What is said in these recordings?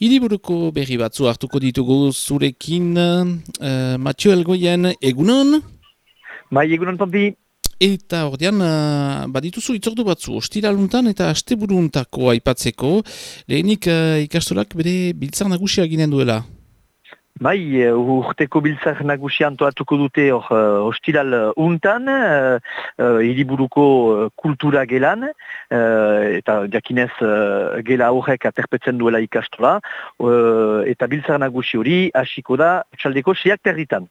Hiriburuko berri batzu hartuko ditugu zurekin, Mathieu Elgoien, egunon? Bai, egunon Pampi. Eta ordean, badituzu itzordu batzu, ostiraluntan eta asteburuntako aipatzeko, lehenik ikastolak bere biltzar nagusia ginen duela. Bai, urteko biltzar nagusia antolatuko dute ostiral untan, hiriburuko kultura gelan, eta jakinez gela horrek aterpetzen duela ikastola, eta biltzar nagusi hori hasiko da txaldeko 6:00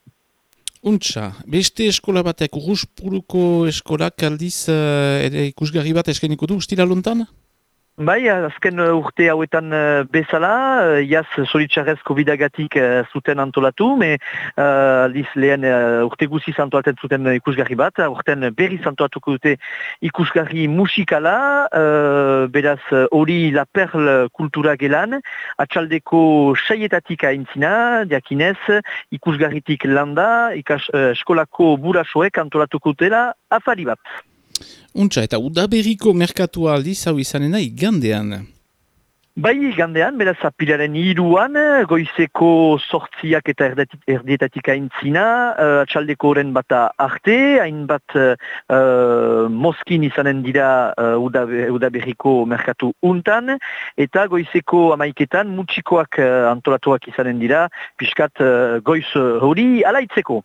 Untxa, beste eskola batek, Urruspuruko eskolak aldiz ere ikusgarri bat eskainiko du ostiraluntan? Bai, azken urte hauetan bezala, jaz zoritxarrez COVID-agatik zuten antolatu, aldiz lehen urte guziz antolaten zuten ikusgarri bat, urten berriz antolatuko dute ikusgarri musikala, beraz hori La Perle kultura gelan, atxaldeko 6:00 aintzina, diakinez, ikusgarritik landa, eskolako burasoek antolatuko dutela afari bat. Untxa, eta udaberriko merkatua aldiz hau izanena igandean. Bai, igandean, beraz apilaren 3 goizeko 8 eta erdietatik aintzina, atxaldeko horren bata arte, hainbat moskin izanen dira udaberriko merkatu untan, eta goizeko 11 mutxikoak antolatuak izanen dira, pixkat goiz hori alaitzeko.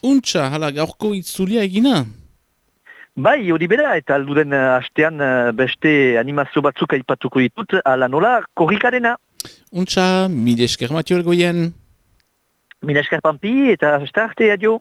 Untxa, hala gaurko itzulia egina? Bai, hori bera, eta alduden hastean beste animazio batzuk aipatuko ditut, ala nola korrikarena. Untxa, mile esker Mathieu Elgoien. Mila esker Pampi, eta arte, adio.